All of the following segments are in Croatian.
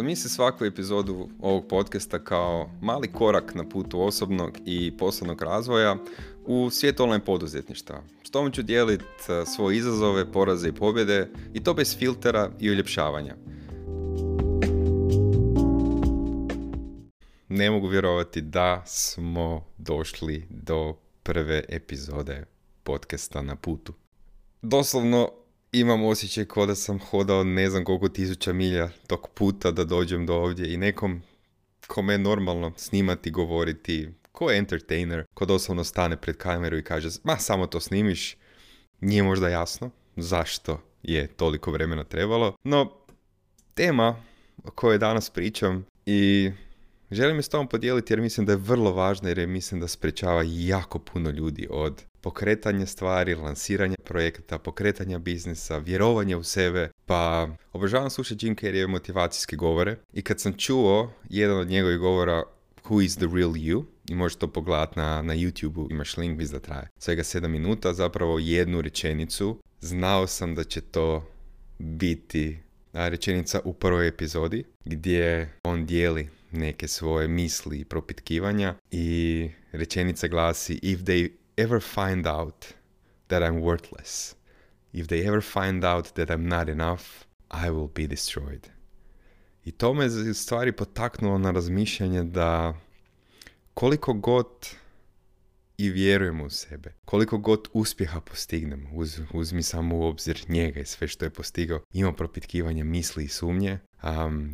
Zamisli svaku epizodu ovog podcasta kao mali korak na putu osobnog i poslovnog razvoja u svijet online poduzetništva. S tom ću dijeliti svoje izazove, poraze i pobjede i to bez filtera i uljepšavanja. Ne mogu vjerovati da smo došli do prve epizode podcasta na putu. Doslovno imam osjećaj kao da sam hodao ne znam koliko tisuća milja tog puta da dođem do ovdje i nekom kome je normalno snimati, govoriti, ko je entertainer, ko doslovno stane pred kameru i kaže ma samo to snimiš, nije možda jasno zašto je toliko vremena trebalo, no tema o kojoj danas pričam i želim je s tobom podijeliti jer mislim da je vrlo važna jer mislim da sprečava jako puno ljudi od pokretanja stvari, lansiranja projekata, pokretanja biznisa, vjerovanja u sebe. Pa obožavam slušati Jim Carreyeve motivacijske govore i kad sam čuo jedan od njegovih govora Who is the real you? I možeš to pogledati na YouTube-u, imaš link, mislim da traje svega 7 minuta, zapravo jednu rečenicu. Znao sam da će to biti rečenica u prvoj epizodi gdje on dijeli neke svoje misli i propitkivanja i rečenica glasi If they ever find out that I'm worthless, if they ever find out that I'm not enough, I will be destroyed. I to me stvari potaknulo na razmišljanje da koliko god i vjerujemo u sebe, koliko god uspjeha postignemo, uzmi samo u obzir njega i sve što je postigao, ima propitkivanje misli i sumnje,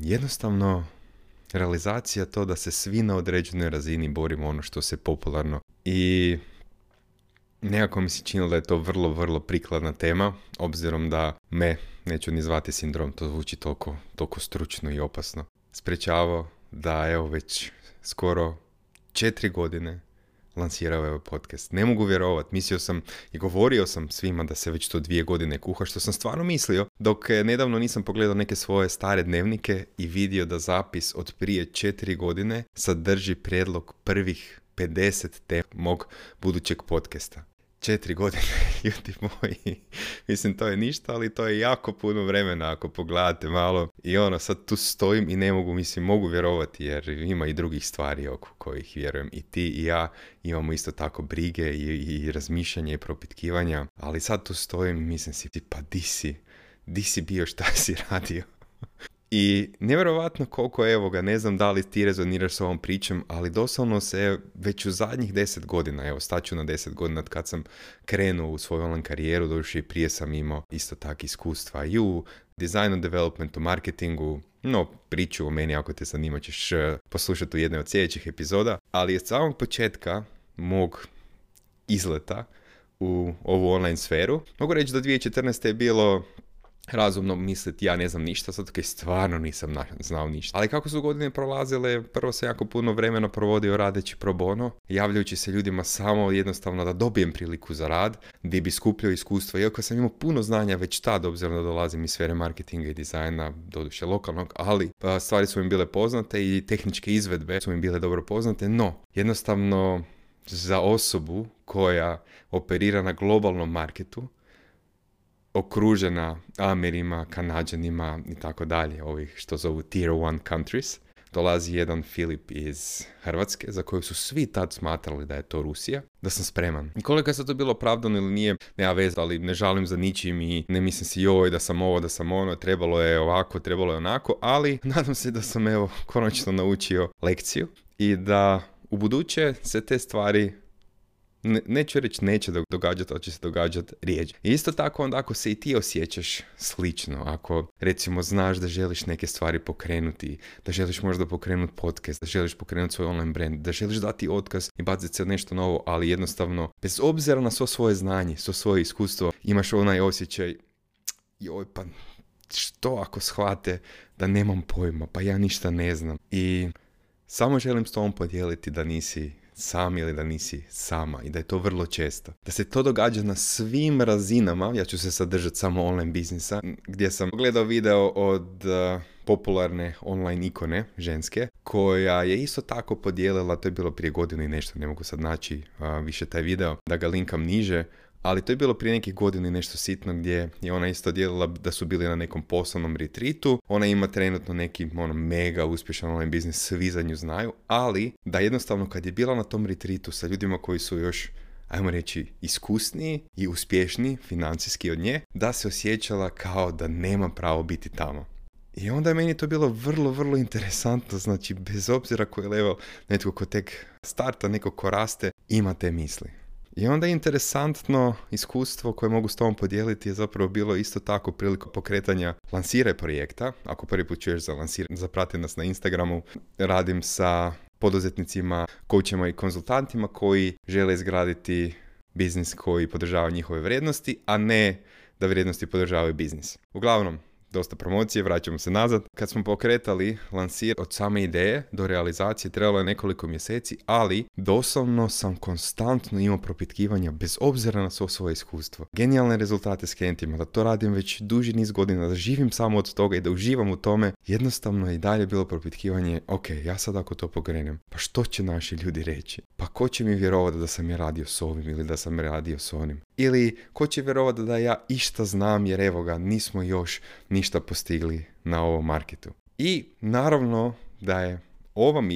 jednostavno realizacija to da se svi na određenoj razini borimo ono što se popularno i nekako mi se činilo da je to vrlo, vrlo prikladna tema, obzirom da me, neću ni zvati sindrom, to zvuči toliko stručno i opasno, sprečavao da evo već skoro 4 godine lansirao ovaj podcast. Ne mogu vjerovati, mislio sam i govorio sam svima da se već to 2 godine kuha, što sam stvarno mislio, dok nedavno nisam pogledao neke svoje stare dnevnike i vidio da zapis od prije 4 godine sadrži prijedlog prvih 50 tema mog budućeg podcasta. 4 godine, ljudi moji, mislim to je ništa, ali to je jako puno vremena ako pogledate malo i sad tu stojim i ne mogu, mogu vjerovati jer ima i drugih stvari oko kojih vjerujem i ti i ja imamo isto tako brige i razmišljanja i propitkivanja, ali sad tu stojim i mislim si pa di si bio, šta si radio? I nevjerovatno koliko evo ga, ne znam da li ti rezoniraš s ovom pričom, ali doslovno se već u zadnjih 10 godina, evo staću na 10 godina kad sam krenuo u svoju online karijeru, doduše i prije sam imao isto tak iskustva i u designu, developmentu, marketingu, no priču o meni ako te zanima ćeš poslušati u jednoj od sljedećih epizoda, ali od samog početka mog izleta u ovu online sferu, mogu reći da 2014. je bilo razumno misliti ja ne znam ništa, zato kaj stvarno nisam znao ništa. Ali kako su godine prolazile, prvo sam jako puno vremena provodio radeći pro bono, javljajući se ljudima samo jednostavno da dobijem priliku za rad, gdje bi skupljao iskustva. Iako sam imao puno znanja već tad, obzirom da dolazim iz sfere marketinga i dizajna, doduše lokalnog, ali stvari su mi bile poznate i tehničke izvedbe su mi bile dobro poznate, no jednostavno za osobu koja operira na globalnom marketu, okružena Amerima, Kanađanima i tako dalje, ovih što zovu Tier 1 countries, dolazi jedan Filip iz Hrvatske, za koju su svi tad smatrali da je to Rusija, da sam spreman. I koliko je sad to bilo opravdano ili nije, nema veze, ali ne žalim za ničim i ne mislim si joj da sam ovo, da sam ono, trebalo je ovako, trebalo je onako, ali nadam se da sam evo konačno naučio lekciju i da u buduće se te stvari neću reći neće događati, ali će se događati rijeđe. I isto tako onda ako se i ti osjećaš slično, ako recimo znaš da želiš neke stvari pokrenuti, da želiš možda pokrenuti podcast, da želiš pokrenuti svoj online brand, da želiš dati otkaz i baciti se nešto novo, ali jednostavno bez obzira na svo svoje znanje, svo svoje iskustvo, imaš onaj osjećaj joj pa što ako shvate da nemam pojma, pa ja ništa ne znam. I samo želim s tobom podijeliti da nisi sam ili da nisi sama i da je to vrlo često. Da se to događa na svim razinama, ja ću se sad držati samo online biznisa, gdje sam gledao video od popularne online ikone ženske, koja je isto tako podijelila, to je bilo prije godinu i nešto, ne mogu sad naći više taj video, da ga linkam niže, ali to je bilo prije nekih godina nešto sitno gdje je ona isto dijelila da su bili na nekom poslovnom retreatu. Ona ima trenutno neki mega uspješan online biznis, svi za nju znaju, ali da jednostavno kad je bila na tom retreatu sa ljudima koji su još, ajmo reći, iskusniji i uspješniji financijski od nje, da se osjećala kao da nema pravo biti tamo. I onda je meni to bilo vrlo, vrlo interesantno, znači bez obzira koji level, netko ko tek starta, neko ko raste, ima te misli. I onda je interesantno iskustvo koje mogu s tobom podijeliti je zapravo bilo isto tako prilikom pokretanja lansiraj projekta. Ako prvi put čuješ za lansiraj, zaprati nas na Instagramu, radim sa poduzetnicima, coachima i konzultantima koji žele izgraditi biznis koji podržava njihove vrijednosti, a ne da vrijednosti podržavaju biznis. Uglavnom, dosta promocije, vraćamo se nazad. Kad smo pokretali lansir od same ideje do realizacije trebalo je nekoliko mjeseci, ali doslovno sam konstantno imao propitkivanja bez obzira na svo svoje iskustvo. Genijalne rezultate s klijentima, da to radim već duži niz godina, da živim samo od toga i da uživam u tome, jednostavno je i dalje bilo propitkivanje, ok, ja sad ako to pokrenem, pa što će naši ljudi reći? Pa ko će mi vjerovati da sam ja radio s ovim ili da sam radio s onim? Ili ko će vjerovati da ja išta znam jer evo ga, nismo još ništa postigli na ovom marketu. I naravno da je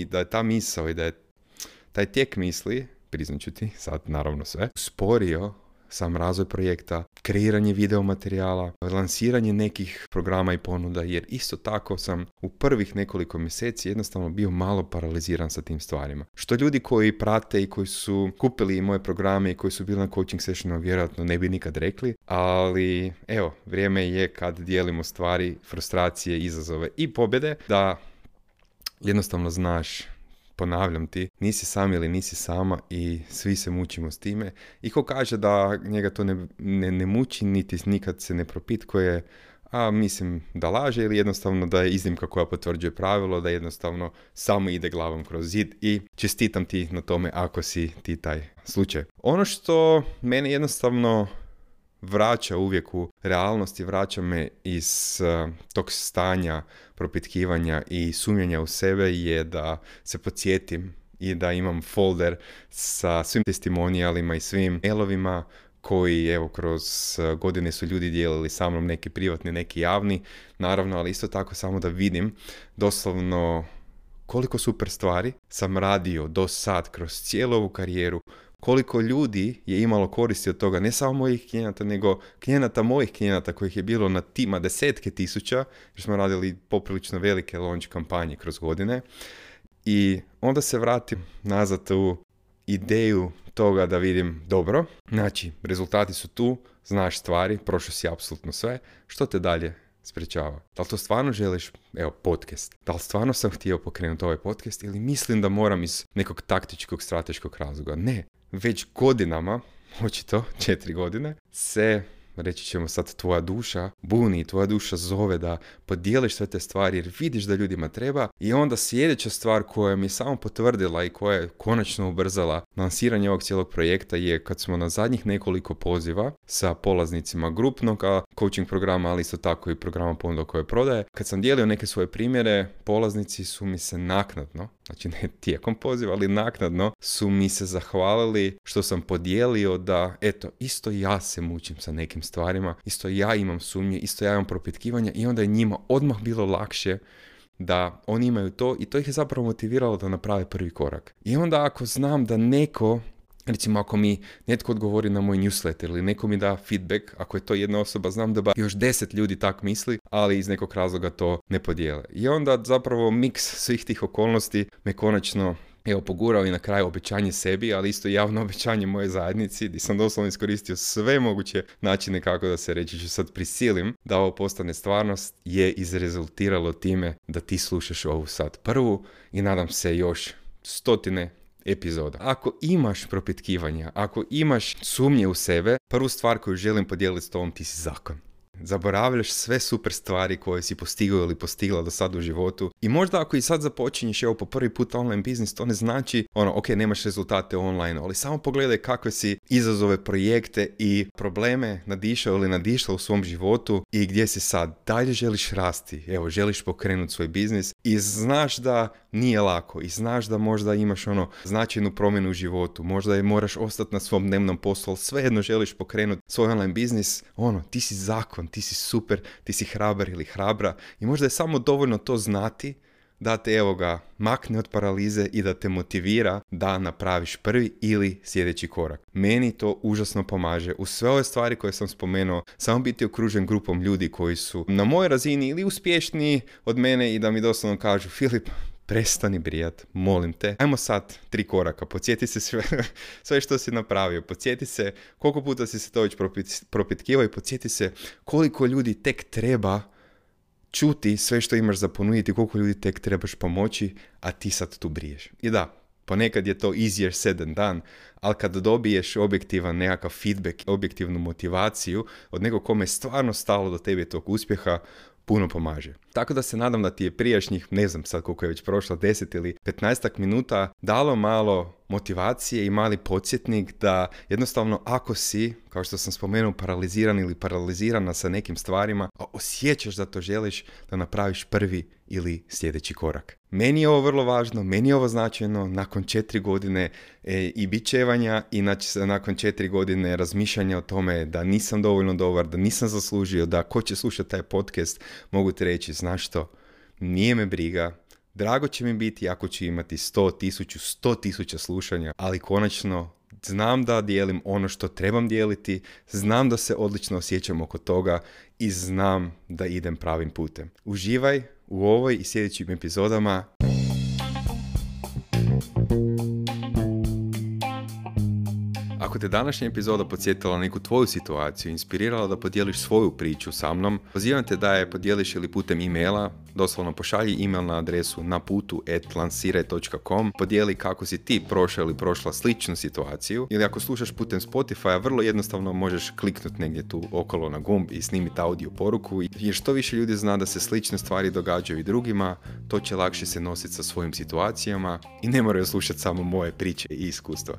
da je ta misao i da je taj tijek misli, priznaću ti sad naravno sve, usporio sam razvoj projekta, kreiranje video materijala, lansiranje nekih programa i ponuda, jer isto tako sam u prvih nekoliko mjeseci jednostavno bio malo paraliziran sa tim stvarima. Što ljudi koji prate i koji su kupili moje programe i koji su bili na coaching sessionu vjerojatno ne bi nikad rekli, ali evo, vrijeme je kad dijelimo stvari, frustracije, izazove i pobjede, da jednostavno znaš, ponavljam ti, nisi sam ili nisi sama i svi se mučimo s time. I ko kaže da njega to ne muči, niti nikad se ne propitkuje, a mislim da laže ili jednostavno da je iznimka koja potvrđuje pravilo, da jednostavno samo ide glavom kroz zid i čestitam ti na tome ako si ti taj slučaj. Ono što mene jednostavno vraća uvijek u realnost i vraća me iz tog stanja propitkivanja i sumnjanja u sebe je da se podsjetim i da imam folder sa svim testimonijalima i svim mailovima koji evo kroz godine su ljudi dijelili sa mnom, neki privatni, neki javni, naravno, ali isto tako samo da vidim doslovno koliko super stvari sam radio do sad kroz cijelu ovu karijeru, koliko ljudi je imalo koristi od toga, ne samo mojih klijenata, nego klijenata mojih klijenata kojih je bilo na desetke tisuća, jer smo radili poprilično velike launch kampanje kroz godine. I onda se vratim nazad u ideju toga da vidim, dobro, znači rezultati su tu, znaš stvari, prošao si apsolutno sve, što te dalje sprečava? Da li to stvarno želiš, podcast? Da li stvarno sam htio pokrenuti ovaj podcast ili mislim da moram iz nekog taktičkog, strateškog razloga? Ne, već godinama, očito 4 godine, se, reći ćemo sad, tvoja duša buni, tvoja duša zove da podijeliš sve te stvari jer vidiš da ljudima treba. I onda sljedeća stvar koja mi je samo potvrdila i koja je konačno ubrzala lansiranje ovog cijelog projekta je kad smo na zadnjih nekoliko poziva sa polaznicima grupnog coaching programa, ali isto tako i programa ponuda koje prodaje, kad sam dijelio neke svoje primjere, polaznici su mi se naknadno, znači ne tijekom poziva, ali naknadno su mi se zahvalili što sam podijelio da, eto, isto ja se mučim sa nekim stvarima, isto ja imam sumnje, isto ja imam propitkivanja i onda je njima odmah bilo lakše da oni imaju to i to ih je zapravo motiviralo da naprave prvi korak. I onda ako znam da neko, recimo ako mi netko odgovori na moj newsletter ili neko mi da feedback, ako je to jedna osoba, znam da još 10 ljudi tak misli, ali iz nekog razloga to ne podijele. I onda zapravo miks svih tih okolnosti me konačno pogurao i na kraju obećanje sebi, ali isto javno obećanje moje zajednici, gdje sam doslovno iskoristio sve moguće načine kako da se reći ću sad prisilim da ovo postane stvarnost, je izrezultiralo time da ti slušaš ovu sad prvu i nadam se još stotine epizoda. Ako imaš propitkivanja, ako imaš sumnje u sebe, prvu stvar koju želim podijeliti s tobom, ti si zakon. Zaboravljaš sve super stvari koje si postigao ili postigla do sad u životu i možda ako i sad započinješ po prvi put online biznis, to ne znači ok, nemaš rezultate online, ali samo pogledaj kakve si izazove, projekte i probleme nadišao ili nadišla u svom životu i gdje si sad. Dalje želiš rasti, želiš pokrenuti svoj biznis I znaš da nije lako i znaš da možda imaš značajnu promjenu u životu, možda je moraš ostati na svom dnevnom poslu, ali svejedno želiš pokrenuti svoj online biznis, ti si zakon, ti si super, ti si hrabar ili hrabra i možda je samo dovoljno to znati da te makne od paralize i da te motivira da napraviš prvi ili sljedeći korak. Meni to užasno pomaže. U sve ove stvari koje sam spomenuo, samo biti okružen grupom ljudi koji su na mojoj razini ili uspješniji od mene i da mi doslovno kažu: Filip, prestani brijat, molim te. Ajmo sad 3 koraka, podsjeti se sve što si napravio, podsjeti se koliko puta si se to već propitkivao i podsjeti se koliko ljudi tek treba čuti sve što imaš za ponuditi, koliko ljudi tek trebaš pomoći, a ti sad tu briješ. I da, ponekad je to easier said than done, ali kad dobiješ objektivan nekakav feedback, objektivnu motivaciju od nekog kome je stvarno stalo do tebe tog uspjeha, puno pomaže. Tako da se nadam da ti je prijašnjih, ne znam sad koliko je već prošlo, 10 ili 15 minuta dalo malo motivacije i mali podsjetnik da jednostavno ako si, kao što sam spomenuo, paraliziran ili paralizirana sa nekim stvarima, a osjećaš da to želiš, da napraviš prvi ili sljedeći korak. Meni je ovo vrlo važno, meni je ovo značajno nakon 4 godine i bičevanja i nakon 4 godine razmišljanja o tome da nisam dovoljno dobar, da nisam zaslužio, da ko će slušati taj podcast, mogu ti reći, znaš što, nije me briga, drago će mi biti ako ću imati 100,000 slušanja, ali konačno znam da dijelim ono što trebam dijeliti, znam da se odlično osjećam oko toga i znam da idem pravim putem. Uživaj u ovoj i sljedećim epizodama. Ako te današnja epizoda podsjetila na neku tvoju situaciju, inspirirala da podijeliš svoju priču sa mnom, pozivam te da je podijeliš ili putem e-maila, doslovno pošalji e-mail na adresu naputu@lansiraj.com, podijeli kako si ti prošao ili prošla sličnu situaciju, ili ako slušaš putem Spotify, vrlo jednostavno možeš kliknuti negdje tu okolo na gumb i snimiti audio poruku, jer što više ljudi zna da se slične stvari događaju i drugima, to će lakše se nositi sa svojim situacijama i ne moraju slušati samo moje priče i iskustva.